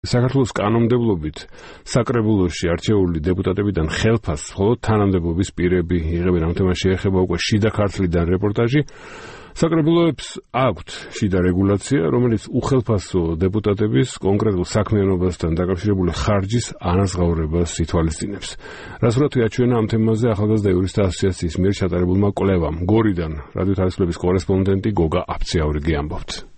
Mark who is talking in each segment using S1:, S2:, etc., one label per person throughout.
S1: საქართველოს კანონმდებლობით საკრებულოში არჩეული დეპუტატებიდან ხელფასს მხოლოდ თანამდებობის პირები იღებენ. ამ თემას შეეხება უკვე შიდა ქართლიდან რეპორტაჟი. საკრებულოებს აქვთ შიდა რეგულაცია, რომელიც უხელფასო დეპუტატების კონკრეტულ საქმიანობასთან დაკავშირებული ხარჯის ანაზღაურებას ითვალისწინებს. რასურათი აჩვენა ამ თემაზე ახალგაზრდა იურისტთა ასოციაციის მიერ ჩატარებულმა კვლევამ. გორიდან რადიო თარისხლების კორესპონდენტი გოგა აფციაურიგი ამბობთ.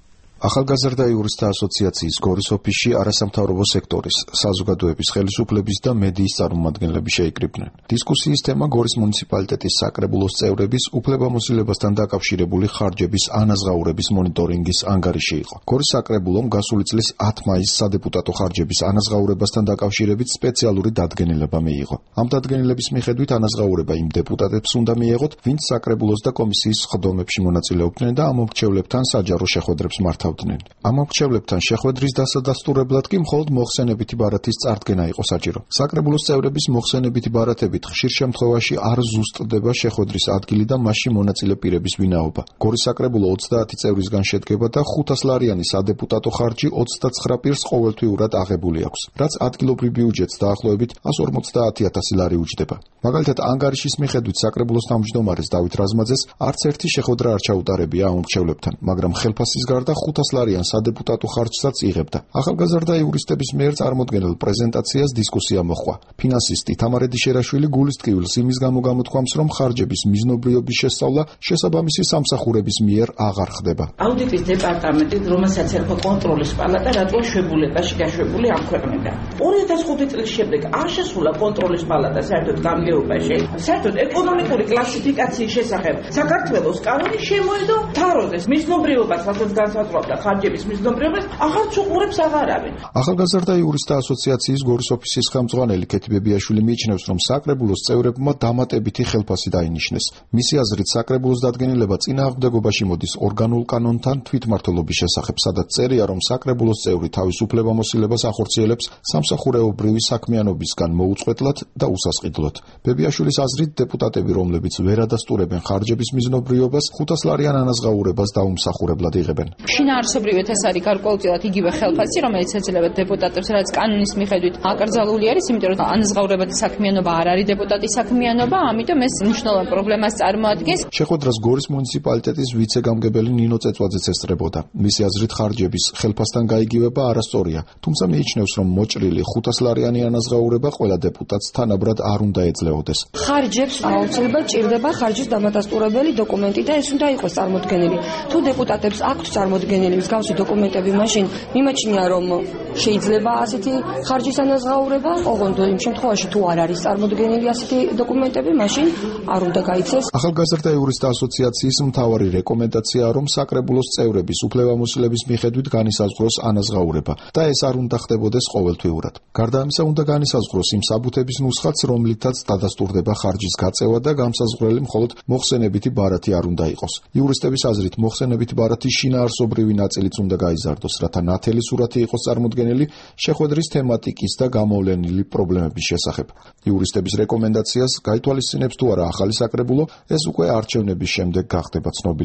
S2: ახალგაზრდა იურისტთა ასოციაციის გორის ოფისში არასამთავრობო სექტორის, საზოგადოების ხელისუფლების და მედიის წარმომადგენლები შეიკრიბნენ. დისკუსიის თემა გორის მუნიციპალიტეტის საკრებულოს წევრების უფლებამოსილებასთან დაკავშირებული ხარჯების ანაზღაურების მონიტორინგის ანგარიში იყო. გორის საკრებულომ გასული წლის 10 მაისს სადეპუტატო ხარჯების ანაზღაურებასთან დაკავშირებით სპეციალური დადგენილება მიიღო. ამ დადგენილების მიხედვით ანაზღაურება იმ დეპუტატებს უნდა მიეღოთ, ვინც საკრებულოს და კომისიის სხდომებში მონაწილეობდნენ და ამ მომრჩევლებთან საჯარო შეხვედრებს მართავდნენ. ამ მომრჩევლებთან შეხვედრის დასადასტურებლად კი მხოლოდ მოხსენებითი ბარათის წარდგენა იყო საჭირო. საკრებულოს წევრების მოხსენებითი ბარათებით ხშირ შემთხვევაში არ ზუსტდება შეხვედრის ადგილი და მასში მონაწილე პირების ვინაობა. გორის საკრებულო 30 წევრისგან შედგება და 500 ლარიანი სადეპუტატო ხარჯი 29 პირს ყოველთვიურად აღებული აქვს, რაც ადგილობრივ ბიუჯეტს დაახლოებით 150.000 ლარი უჯდება. მაგალითად, ანგარიშის მიხედვით საკრებულოს თავმჯდომარეს დავით რაზმაძეს არც ერთი შეხვედრა არ ჩაუტარებია ამ მომრჩევლებთან, მაგრამ ხელფასის გარდა 500 ლარიან სადეპუტატო ხარჯსაც იღებდა. ახალგაზრდა იურისტების მიერ წარმოდგენილ პრეზენტაციას დისკუსია მოჰყვა. ფინანსისტი თამარ ედიშერაშვილი გულის ტკივილს იმის გამო გამოთქვამს, რომ ხარჯების მიზნობრიობის შესწავლა შესაბამისი სამსახურების მიერ აღარ ხდება.
S3: აუდიტის დეპარტამენტი, რომელსაც ერქვა კონტროლის პალატა, რატომ შვებულებაში გაშვებული ამ ქვეყნიდან. 2005 წლის შემდეგ არ შესულა კონტროლის პალატა საერთოდ გამგეობაში. საერთოდ ეკონომიკური კლასიფიკაციის შესახებ საქართველოს კანონი შემოედო თაროდეს მიზნობრიობას, რასაც განსაზღვრავდა ხარჯების მიზნობრიობას, აღარც უყურებს აღარავინ.
S2: ახალგაზრდა იურისტთა ასოციაციის გორის ოფისის ხელმძღვანელი ქეთი ბებიაშვილი მიიჩნევს, რომ საკრებულოს წევრებმა დამატებითი ხელფასი დაინიშნეს. მისი აზრით, საკრებულოს დადგენილება წინააღმდეგობაში მოდის ორგანულ კანონთან თვითმმართველობის შესახებ, სადაც წერია, რომ საკრებულოს წევრი თავის უფლებამოსილებას ახორციელებს სამსახურეობრივი საქმიანობისგან მოუწყვეტლად და უსასყიდლოდ. ბებიაშვილის აზრით, დეპუტატები, რომლებიც ვერ ადასტურებენ ხარჯების მიზნობრიობას, 500 ლარიან ანაზღაურებას დაუმსახურებლად იღებენ.
S4: შინაარსობრივად ეს არის გარკვეულწილად იგივე ხელფასი, რომელიც ეძლევა დეპუტატებს, რაც კანონის მიხედვით აკრძალული არის, იმიტომ რომ ანაზღაურებადი საქმიანობა არ არის დეპუტატის საქმიანობა, ამიტომ ეს მნიშვნელოვან პრობლემას წარმოადგენს.
S2: შეხვედრას გორის მუნიციპალიტეტის ვიცე-გამგებელი ნინო წეწვაძეც ესწრებოდა. მისი აზრით, ხარჯების ხელფასთან გაიგივება არასწორია, თუმცა მიიჩნევს, რომ მოჭრილი 500 ლარიანი ანაზღაურება ყველა დეპუტატს თანაბრად არ უნდა ეძლეოდეს.
S5: ხარჯებს აუცილებლად ჭირდება ხარჯის დამადასტურებელი დოკუმენტი და ეს უნდა იყოს წარმოდგენილი. თუ დეპუტატებს აქვთ წარმოდგენილი მსგავსი დოკუმენტები, მაშინ მიმაჩნია, რომ შეიძლება ასეთი ხარჯის ანაზღაურება, ოღონდ იმ შემთხვევაში თუ არ არის წარმოდგენილი ასეთი დოკუმენტები, მაშინ არ უნდა გაიცეს.
S2: ახალგაზრდა იურისტთა ასოციაციის მთავარი რეკომენდაციაა, რომ საკრებულოს წევრების უფლებამოსილების მიხედვით განისაზღვროს ანაზღაურება და ეს არ უნდა ხდებოდეს ყოველთვიურად. გარდა ამისა, უნდა განისაზღვროს იმ საბუთების ნუსხაც, რომლითაც დადასტურდება ხარჯის გაწევა და გამსაზღვრელი მხოლოდ მოხსენებითი ბარათი არ უნდა იყოს. იურისტების აზრით, მოხსენებითი ბარათის შინაარსობრივი ნაწილიც უნდა გაიზარდოს, რათა ნათელი სურათი იყოს წარმოდგენილი შეხვედრის თემატიკის და გამოვლენილი პრობლემების შესახებ. იურისტების რეკომენდაციას გაითვალისწინებს თუ არა ახალი საკრებულო, ეს უკვე არჩევნების შემდეგ გახდება ცნობილი.